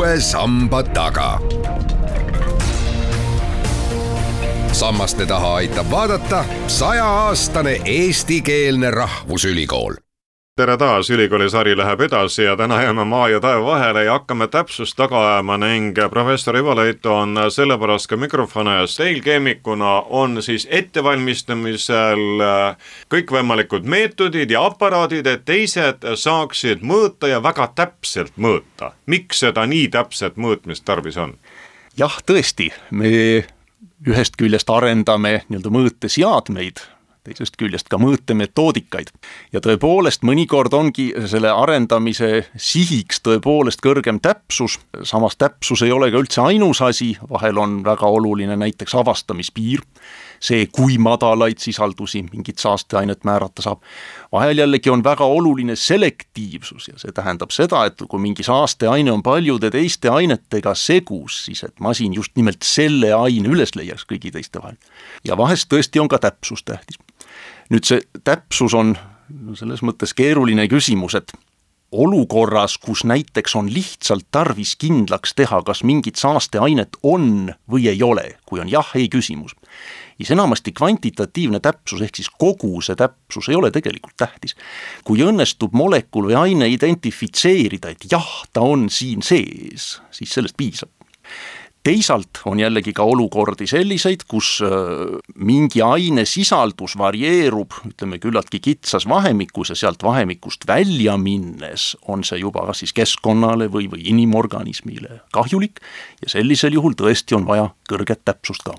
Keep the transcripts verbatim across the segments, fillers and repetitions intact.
uue samba taga. Sammaste taha aitab vaadata sajaaastane eestikeelne rahvusülikool. Tere taas, ülikooli sari läheb edasi ja täna jääme maa ja taeva vahele ja hakkame täpsust taga ajama ning professor Ivo Leito on sellepärast ka mikrofone ees. Teil keemikuna on siis ettevalmistamisel kõikvõimalikud meetodid ja aparaadid, et teised saaksid mõõta ja väga täpselt mõõta. Miks seda nii täpset mõõtmist tarvis on? Jah, tõesti, me ühest küljest arendame nii-öelda mõõteseadmeid, teisest küljest ka mõõtemetoodikaid. Ja tõepoolest mõnikord ongi selle arendamise sihiks tõepoolest kõrgem täpsus, samas täpsus ei ole ka üldse ainus asi, vahel on väga oluline näiteks avastamispiir, see kui madalaid sisaldusi mingit saasteainet määrata saab. Vahel jällegi on väga oluline selektiivsus ja see tähendab seda, et kui mingi saasteaine on paljude teiste ainetega segus, siis et masin just nimelt selle aine üles leiaks kõigi teiste vahel. Ja vahest tõesti on ka täpsus tähtis. Nüüd see täpsus on selles mõttes keeruline küsimus, et olukorras, kus näiteks on lihtsalt tarvis kindlaks teha, kas mingit saasteainet on või ei ole, kui on jah, ei küsimus. Ja enamasti kvantitatiivne täpsus ehk siis kogu see täpsus ei ole tegelikult tähtis. Kui õnnestub molekul või aine identifitseerida, et jah, ta on siin sees, siis sellest piisab. Teisalt on jällegi ka olukordi selliseid, kus mingi aine sisaldus varieerub, ütleme küllaltki kitsas vahemikus ja sealt vahemikust välja minnes on see juba siis keskkonnale või, või inimorganismile kahjulik ja sellisel juhul tõesti on vaja kõrget täpsust ka.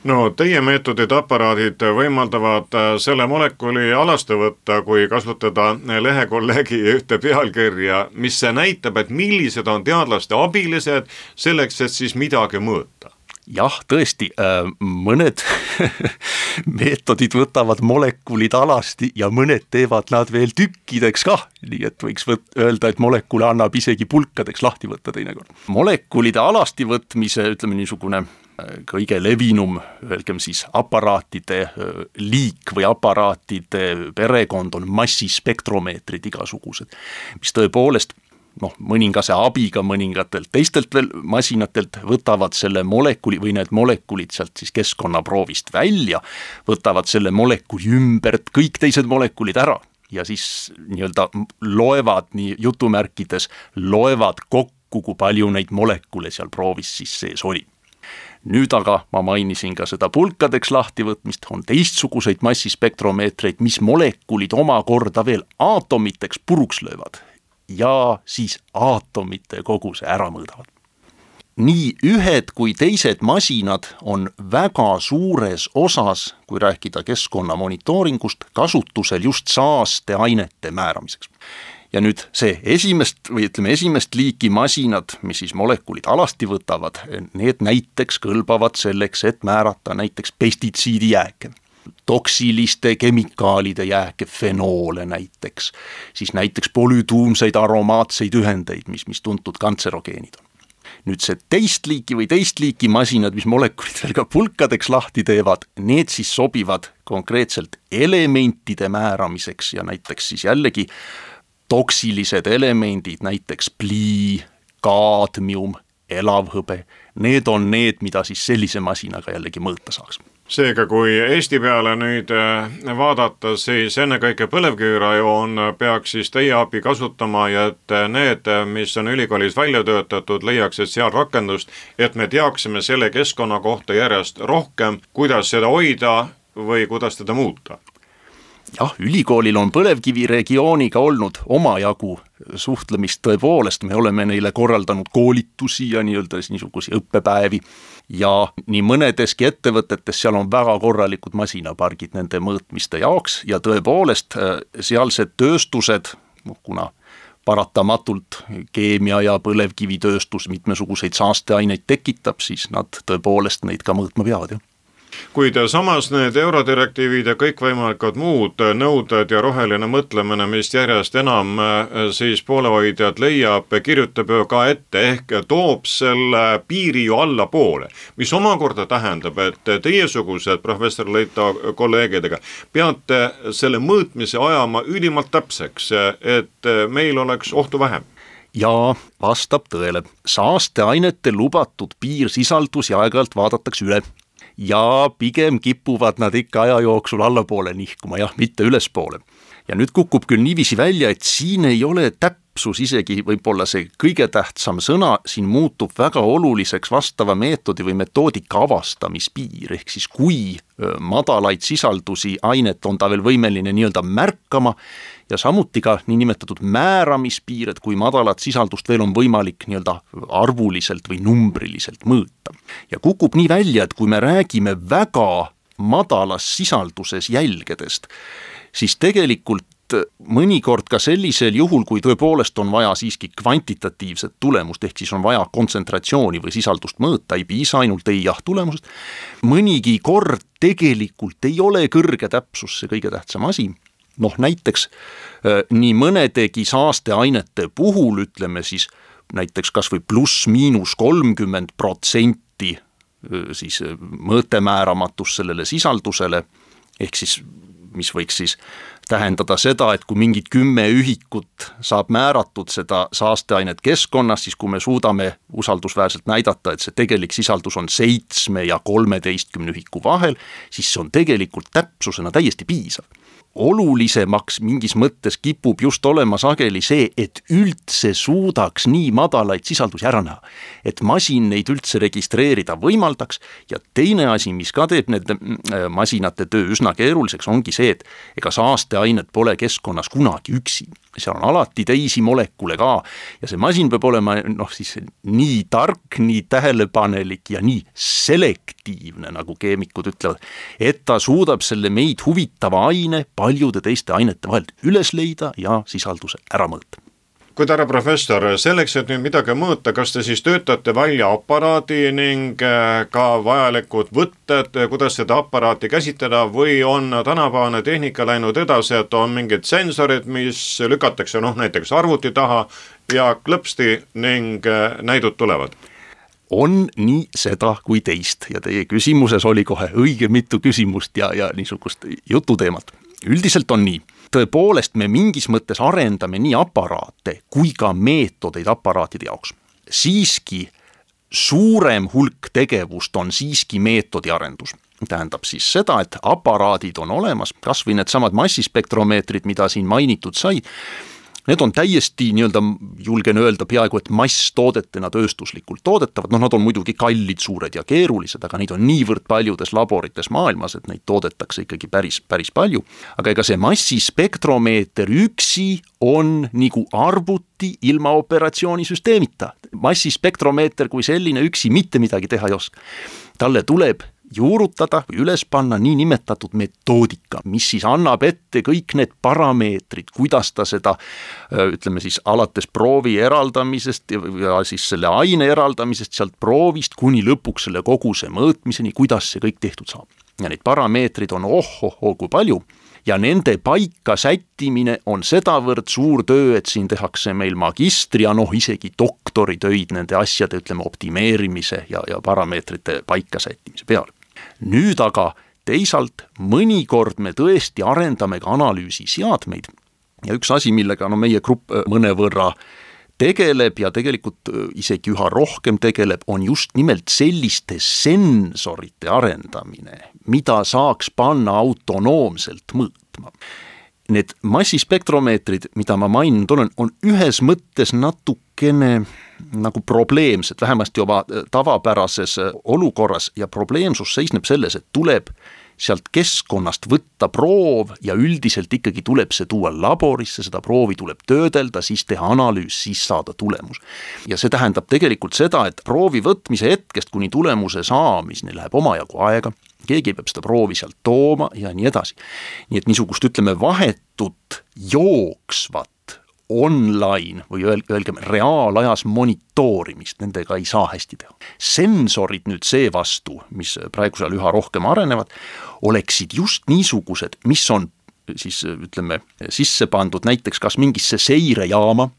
No teie meetodid, aparaadid võimaldavad selle molekuli alaste võtta, kui kasutada lehekollegi ühte pealkirja, mis näitab, et millised on teadlaste abilised selleks, et siis midagi mõõta. Jah, tõesti, mõned meetodid võtavad molekulid alasti ja mõned teevad nad veel tükkideks kah, nii et võiks võt- öelda, et molekule annab isegi pulkadeks lahti võtta teinekord. Molekulide alasti võtmise, ütleme niisugune kõige levinum, öelgem siis aparaatide liik või aparaatide perekond on massispektromeetrid igasugused, mis tõepoolest noh, mõningase abiga mõningatelt teistelt veel masinatelt võtavad selle molekuli või need molekulid sealt siis keskkonnaproovist välja, võtavad selle molekuli ümbert kõik teised molekulid ära ja siis nii-öelda loevad nii jutumärkides, loevad kokku, kui palju neid molekule seal proovis siis sees oli. Nüüd aga ma mainisin ka seda pulkadeks lahtivõtmist, on teistsuguseid massispektromeetreid, mis molekulid omakorda veel aatomiteks puruks löövad ja siis aatomite koguse ära mõõdavad. Nii ühed kui teised masinad on väga suures osas, kui rääkida keskkonna monitooringust, kasutusel just saasteainete määramiseks. Ja nüüd see esimest või ütleme esimest liiki masinad, mis siis molekulid alasti võtavad, need näiteks kõlbavad selleks, et määrata näiteks pestitsiidijääke, toksiliste kemikaalide jääke, fenoole näiteks, siis näiteks polütuumseid aromaatseid ühendeid, mis, mis tuntud kantserogeenid on. Nüüd see teist liiki või teist liiki masinad, mis molekulid veel ka pulkadeks lahti teevad, need siis sobivad konkreetselt elementide määramiseks ja näiteks siis jällegi toksilised elemendid, näiteks plii, kaadmium, elavhõbe, need on need, mida siis sellise masinaga jällegi mõõta saaks. Seega, kui Eesti peale nüüd vaadata, siis ennekõike põlevkivirajoon peaks siis teie abi kasutama ja et need, mis on ülikoolis välja töötatud, leiaksid seal rakendust, et me teaksime selle keskkonna kohta järjest rohkem, kuidas seda hoida või kuidas teda muuta. Jah, ülikoolil on põlevkiviregiooniga olnud omajagu suhtlemist tõepoolest, me oleme neile korraldanud koolitusi ja nii-öelda niisugusi õppepäevi ja nii mõnedeski ettevõtetes seal on väga korralikud masinapargid nende mõõtmiste jaoks ja tõepoolest sealsed tööstused, kuna paratamatult keemia ja põlevkivitööstus mitmesuguseid saasteaineid tekitab, siis nad tõepoolest neid ka mõõtma peavad, jah. Kuid samas need eurodirektiivid ja kõikvõimalikud muud nõuded ja roheline mõtlemine, mis järjest enam siis poolehoidjad leiab, kirjutab ju ka ette ehk toob selle piiri ju alla poole, mis omakorda tähendab, et teiesugused professor Leito kolleegidega peate selle mõõtmise ajama ülimalt täpseks, et meil oleks ohtu vähem. Jaa, vastab tõele. Saasteainete lubatud piirsisaldus ja aeg-ajalt vaadatakse üle. Ja pigem kipuvad nad ikka aja jooksul allapoole nihkuma, jah, mitte ülespoole. Ja nüüd kukub küll niiviisi välja, et siin ei ole täpsus isegi võib-olla see kõige tähtsam sõna, siin muutub väga oluliseks vastava meetodi või metoodika avastamispiir, ehk siis kui madalaid sisaldusi ainet on ta veel võimeline nii-öelda märkama ja samuti ka niinimetatud määramispiir, et kui madalat sisaldust veel on võimalik nii-öelda arvuliselt või numbriliselt mõõta. Ja kukub nii välja, et kui me räägime väga madalas sisalduses jälgedest, siis tegelikult mõnikord ka sellisel juhul, kui tõepoolest on vaja siiski kvantitatiivset tulemust, ehk siis on vaja kontsentratsiooni või sisaldust mõõta, ei piisa ainult ei jah tulemusest, mõnigi kord tegelikult ei ole kõrge täpsus see kõige tähtsam asi. Noh, näiteks nii mõnedegi saasteainete puhul, ütleme siis näiteks kas või pluss miinus kolmkümmend protsenti siis mõõtemääramatus sellele sisaldusele, ehk siis mis võiks siis tähendada seda, et kui mingid kümme ühikut saab määratud seda saasteainet keskkonnas, siis kui me suudame usaldusväärselt näidata, et see tegelik sisaldus on seitsme ja kolmeteistkümne ühiku vahel, siis see on tegelikult täpsusena täiesti piisav. Olulisemaks mingis mõttes kipub just olema sageli see, et üldse suudaks nii madalaid sisaldusi ära näha, et masin neid üldse registreerida võimaldaks ja teine asi, mis ka teeb need masinate töö üsna keeruliseks, ongi see, et ega saasteainet pole keskkonnas kunagi üksi. Seal on alati teisi molekule ka ja see masin peab olema noh, siis nii tark, nii tähelepanelik ja nii selektiivne, nagu keemikud ütlevad, et ta suudab selle meid huvitava aine paljude teiste ainete vahelt üles leida ja sisalduse ära mõõta. Kuid härra professor, selleks, et nüüd midagi mõõta, kas te siis töötate välja aparaadi ning ka vajalikud võtted, kuidas seda aparaati käsitleda või on tänapäevane tehnika läinud edasi, et on mingid sensorid, mis lükatakse noh, näiteks arvuti taha ja klõpsti ning näidud tulevad? On nii seda kui teist ja teie küsimuses oli kohe õige mitu küsimust ja, ja niisugust jututeemat. Üldiselt on nii. Tõepoolest me mingis mõttes arendame nii aparaate kui ka meetodeid aparaatide jaoks. Siiski suurem hulk tegevust on siiski meetodi arendus. Tähendab siis seda, et aparaadid on olemas, kas või need samad massispektromeetrid, mida siin mainitud sai, need on täiesti nii-öelda, julgen öelda peaaegu, et masstoodetena tööstuslikult toodetavad, noh nad on muidugi kallid, suured ja keerulised, aga neid on niivõrd paljudes laborites maailmas, et neid toodetakse ikkagi päris, päris palju. Aga ega see massispektromeeter üksi on nagu arvuti ilma operatsioonisüsteemita. Massispektromeeter kui selline üksi mitte midagi teha ei oska. Talle tuleb juurutada või üles panna nii nimetatud metoodika, mis siis annab ette kõik need parameetrid, kuidas ta seda, ütleme siis alates proovi eraldamisest ja siis selle aine eraldamisest sealt proovist kuni lõpuks selle koguse mõõtmiseni, kuidas see kõik tehtud saab. Ja neid parameetrid on oh-oh-oh kui palju ja nende paika sättimine on sedavõrd suur töö, et siin tehakse meil magistri ja noh isegi doktoritöid nende asjade, ütleme, optimeerimise ja, ja parameetrite paika sättimise peale. Nüüd aga teisalt mõnikord me tõesti arendame ka analüüsiseadmeid ja üks asi, millega no meie grupp mõnevõrra tegeleb ja tegelikult isegi üha rohkem tegeleb, on just nimelt selliste sensorite arendamine, mida saaks panna autonoomselt mõõtma. Need massispektromeetrid, mida ma maininud olen, on ühes mõttes natukene nagu probleemsed, vähemasti juba tavapärases olukorras ja probleemsus seisneb selles, et tuleb sealt keskkonnast võtta proov ja üldiselt ikkagi tuleb see tuua laborisse, seda proovi tuleb töödelda, siis teha analüüs, siis saada tulemus. Ja see tähendab tegelikult seda, et proovi võtmise hetkest kuni tulemuse saamiseni läheb omajagu aega, keegi peab seda proovi sealt tooma ja nii edasi. Nii et niisugust, ütleme, vahetut jooksvat online või öelgem reaalajas monitoorimist, nendega ei saa hästi teha. Sensorid nüüd see vastu, mis praegusel üha rohkem arenevad, oleksid just niisugused, mis on siis ütleme sisse pandud näiteks kas mingisse seirejaama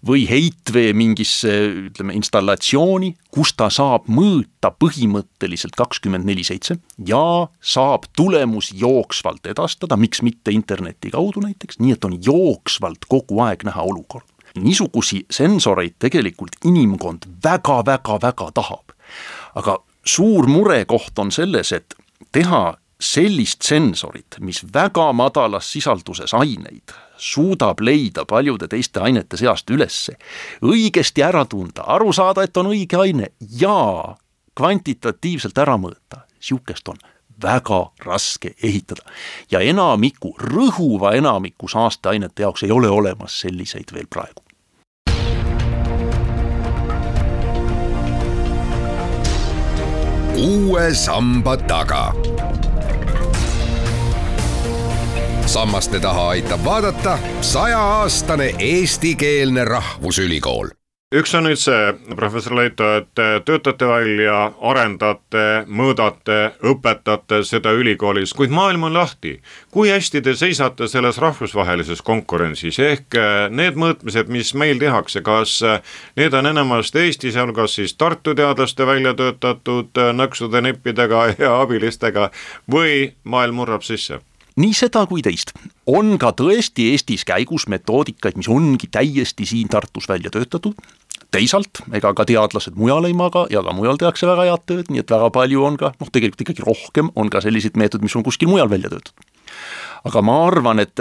või heitvee mingisse ütleme installatsiooni, kus ta saab mõõta põhimõtteliselt kakskümmend neli seitse ja saab tulemus jooksvalt edastada, miks mitte interneti kaudu näiteks, nii et on jooksvalt kogu aeg näha olukord. niisugusi sensoreid tegelikult inimkond väga-väga-väga tahab. Aga suur murekoht on selles, et teha sellist sensorit, mis väga madalas sisalduses aineid suudab leida paljude teiste ainete seast ülesse, õigesti ära tunda, aru saada, et on õige aine ja kvantitatiivselt ära mõõta. Siukest on väga raske ehitada. Ja enamiku, rõhuva enamiku saasteainete jaoks ei ole olemas selliseid veel praegu. Uue samba taga. Sammaste taha aitab vaadata sajaaastane eestikeelne rahvusülikool. Üks on nüüd see, professor Leito, et töötate välja, arendate, mõõdate, õpetate seda ülikoolis, kuid maailm on lahti. Kui hästi te seisate selles rahvusvahelises konkurentsis? Ehk need mõõtmised, mis meil tehakse, kas need on enamasti Eesti, sealhulgas siis Tartu teadlaste välja töötatud nõksude nippidega ja abilistega või maailm murrab sisse? Nii seda kui teist. On ka tõesti Eestis käigus metoodikaid, mis ongi täiesti siin Tartus välja töötatud. Teisalt, ega ka teadlased mujal ei maga ja ka mujal tehakse väga head tööd, nii et väga palju on ka, noh tegelikult ikkagi rohkem on ka sellised meetod, mis on kuskil mujal välja töötatud. Aga ma arvan, et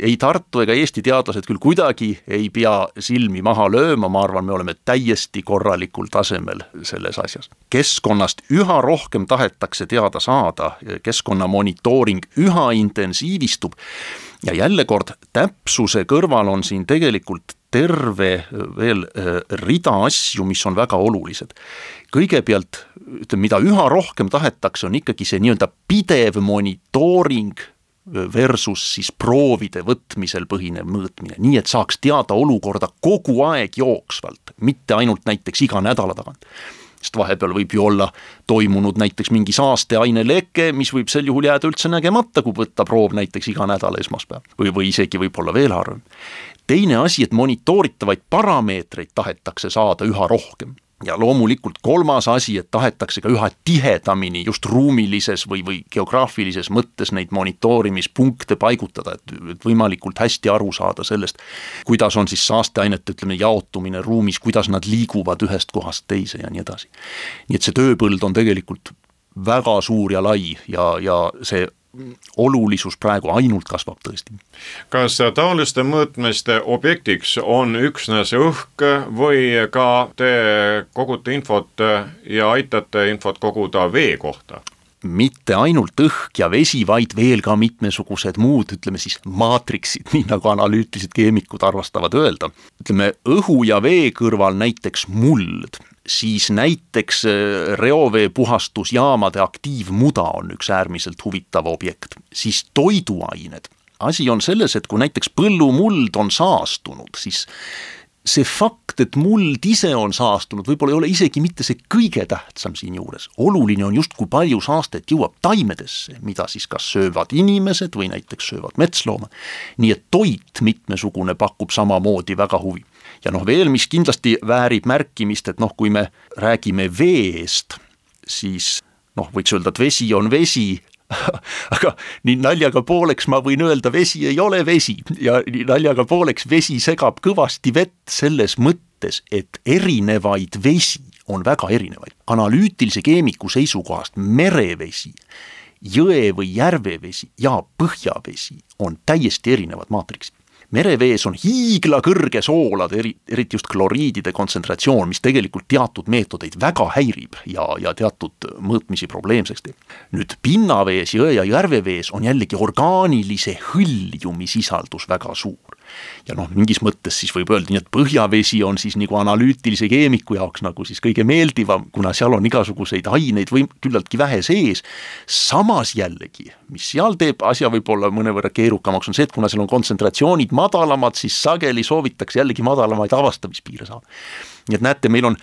ei Tartu ega Eesti teadlased küll kuidagi ei pea silmi maha lööma, ma arvan, me oleme täiesti korralikul tasemel selles asjas. Keskkonnast üha rohkem tahetakse teada saada, keskkonna monitooring üha intensiivistub ja jälle kord täpsuse kõrval on siin tegelikult terve veel rida asju, mis on väga olulised. Kõigepealt, ütleme, mida üha rohkem tahetakse, on ikkagi see nii-öelda pidev monitooring versus siis proovide võtmisel põhinev mõõtmine, nii et saaks teada olukorda kogu aeg jooksvalt, mitte ainult näiteks iga nädala tagant. Sest vahepeal võib ju olla toimunud näiteks mingi saasteaine leke, mis võib sel juhul jääda üldse nägemata, kui võtta proov näiteks iga nädala esmaspäev või, või isegi võib olla veel harvem. Teine asi, et monitooritavaid parameetreid tahetakse saada üha rohkem. Ja loomulikult kolmas asi, et tahetakse ka üha tihedamini just ruumilises või, või geograafilises mõttes neid monitoorimispunkte paigutada, et võimalikult hästi aru saada sellest, kuidas on siis saasteainete, ütleme, jaotumine ruumis, kuidas nad liiguvad ühest kohast teise ja nii edasi. Nii et see tööpõld on tegelikult väga suur ja lai ja, ja see olulisus praegu ainult kasvab tõesti. Kas taoliste mõõtmiste objektiks on üksnes õhk või ka te kogute infot ja aitate infot koguda vee kohta? Mitte ainult õhk ja vesi, vaid veel ka mitmesugused muud, ütleme siis maatriksid, nii nagu analüütilised keemikud arvastavad öelda. Ütleme, õhu ja vee kõrval näiteks muld, siis näiteks reovee puhastusjaamade aktiivmuda on üks äärmiselt huvitav objekt, siis toiduained. Asi on selles, et kui näiteks põllumuld on saastunud, siis see fakt, et muld ise on saastunud, võib-olla ei ole isegi mitte see kõige tähtsam siin juures. Oluline on just, kui palju saastet jõuab taimedesse, mida siis kas söövad inimesed või näiteks söövad metslooma. Nii et toit mitmesugune pakub samamoodi väga huvi. Ja noh veel, mis kindlasti väärib märkimist, et noh, kui me räägime veest, siis noh, võiks öelda, et vesi on vesi, aga nii naljaga pooleks ma võin öelda, vesi ei ole vesi ja nii naljaga pooleks vesi segab kõvasti vett selles mõttes, et erinevaid vesi on väga erinevaid. Analüütilise keemiku seisukohast merevesi, jõe või järvevesi ja põhjavesi on täiesti erinevad maatriksid. Merevees on hiigla kõrge soolade, eriti just kloriidide kontsentratsioon, mis tegelikult teatud meetodeid väga häirib ja, ja teatud mõõtmisi probleemseks teeb. Nüüd pinnavees, jõe ja järvevees on jällegi orgaanilise hõljumi sisaldus väga suur. Ja noh, mingis mõttes siis võib öelda, et põhjavesi on siis nagu analüütilise keemiku jaoks nagu siis kõige meeldivam, kuna seal on igasuguseid aineid või küllaltki vähe sees. Samas jällegi, mis seal teeb asja võib-olla mõnevõrra keerukamaks, on see, et kuna seal on kontsentratsioonid madalamad, siis sageli soovitakse jällegi madalamaid avastamispiire saada. Nii et näete, meil on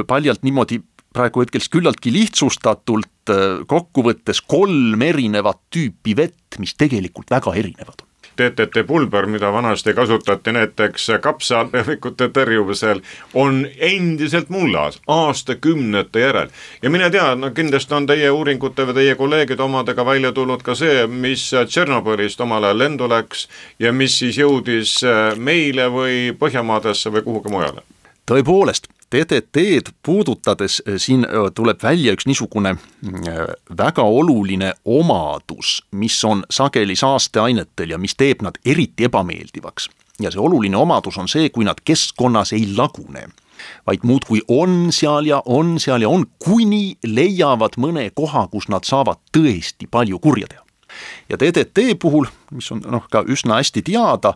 paljalt niimoodi praegu hetkels küllaltki lihtsustatult kokkuvõttes kolm erinevat tüüpi vett, mis tegelikult väga erinevad on. D D T pulber, mida vanasti kasutati näiteks kapsalehvikute tõrjumisel, on endiselt mullas aastakümnete järel. Ja mine tea, no kindlasti on teie uuringute või teie kolleegid omadega välja tulnud ka see, mis Tšernobõlist omal ajal lendu läks ja mis siis jõudis meile või Põhjamaadesse või kuhugi mujale. Tõepoolest, D D T-d puudutades siin tuleb välja üks niisugune väga oluline omadus, mis on sageli saasteainetel ja mis teeb nad eriti ebameeldivaks. Ja see oluline omadus on see, kui nad keskkonnas ei lagune, vaid muud kui on seal ja on seal ja on, kuni leiavad mõne koha, kus nad saavad tõesti palju kurja teha. Ja D D T puhul, mis on noh, ka üsna hästi teada,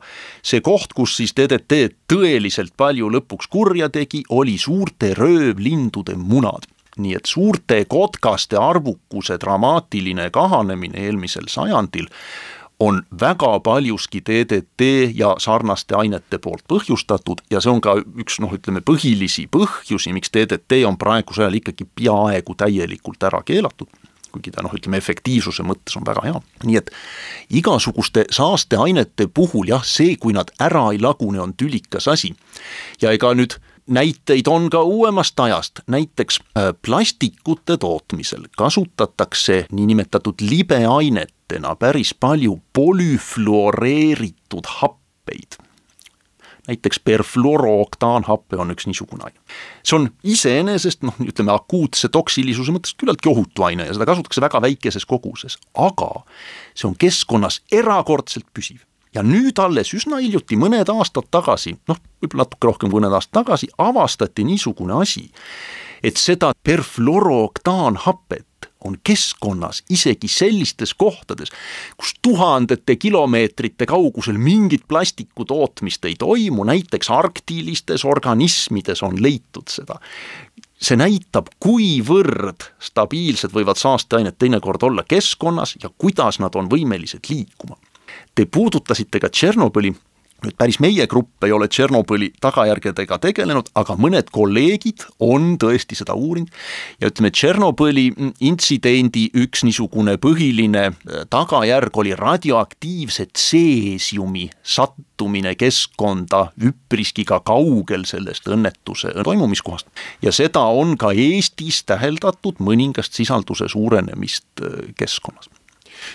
see koht, kus siis D D T tõeliselt palju lõpuks kurja tegi, oli suurte röövlindude munad. Nii et suurte kotkaste arvukuse dramaatiline kahanemine eelmisel sajandil on väga paljuski D D T ja sarnaste ainete poolt põhjustatud ja see on ka üks, noh, ütleme, põhilisi põhjusi, miks D D T on praegusel ajal ikkagi peaaegu täielikult ära keelatud. Kuigi ta, noh, ütleme, efektiivsuse mõttes on väga hea. Nii et igasuguste saasteainete puhul, jah, see, kui nad ära ei lagune, on tülikas asi. Ja ega nüüd näiteid on ka uuemast ajast, näiteks plastikute tootmisel kasutatakse niinimetatud libeainetena päris palju polüfluoreeritud happeid. Näiteks perfluorooktaanhappe on üks niisugune aine. See on iseenesest, noh, ütleme, akuutse toksilisuse mõttes küllaltki ohutu aine ja seda kasutatakse väga väikeses koguses, aga see on keskkonnas erakordselt püsiv. Ja nüüd alles üsna hiljuti mõned aastad tagasi, noh, võib-olla natuke rohkem mõned aastad tagasi, avastati niisugune asi, et seda perfluorooktaanhappet on keskkonnas isegi sellistes kohtades, kus tuhandete kilomeetrite kaugusel mingit plastiku tootmist ei toimu, näiteks arktilistes organismides on leitud seda. See näitab, kuivõrd stabiilsed võivad saasteainet teinekord olla keskkonnas ja kuidas nad on võimelised liikuma. Te puudutasite ka Tšernobõli. Nüüd päris meie grupp ei ole Tšernobõli tagajärgedega tegelenud, aga mõned kolleegid on tõesti seda uurinud ja ütleme, Tšernobõli intsidendi üks niisugune põhiline tagajärg oli radioaktiivse tseesiumi sattumine keskkonda üpriski ka kaugel sellest õnnetuse toimumiskohast. Ja seda on ka Eestis täheldatud mõningast sisalduse suurenemist keskkonnas.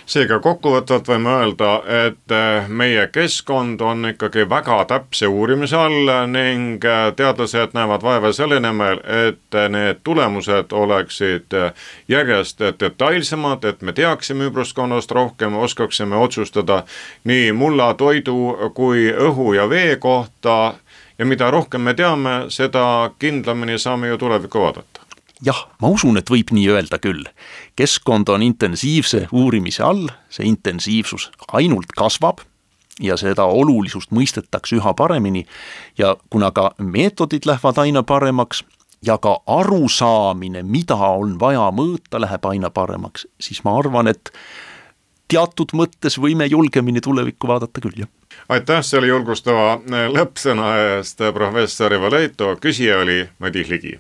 Seega kokkuvõtvalt võime öelda, et meie keskkond on ikkagi väga täpse uurimise all ning teadlased näevad vaeva selle nimel, et need tulemused oleksid järjest detailsemad, et me teaksime ümbruskonnast rohkem, oskaksime otsustada nii mulla, toidu kui õhu ja vee kohta ja mida rohkem me teame, seda kindlamini saame ju tulevikku vaadata. Jah, ma usun, et võib nii öelda küll. Keskkond on intensiivse uurimise all, see intensiivsus ainult kasvab ja seda olulisust mõistetakse üha paremini ja kuna ka meetodid lähevad aina paremaks ja ka arusaamine, mida on vaja mõõta, läheb aina paremaks, siis ma arvan, et teatud mõttes võime julgemini tulevikku vaadata küll, jah. Aitäh selle julgustava lõppsõna eest, professor Ivo Leito, küsija oli Madis Ligi.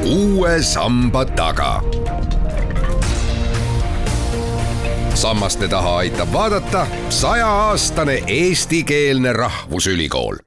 Uue samba taga. Sammaste taha aitab vaadata sajaaastane eestikeelne rahvusülikool.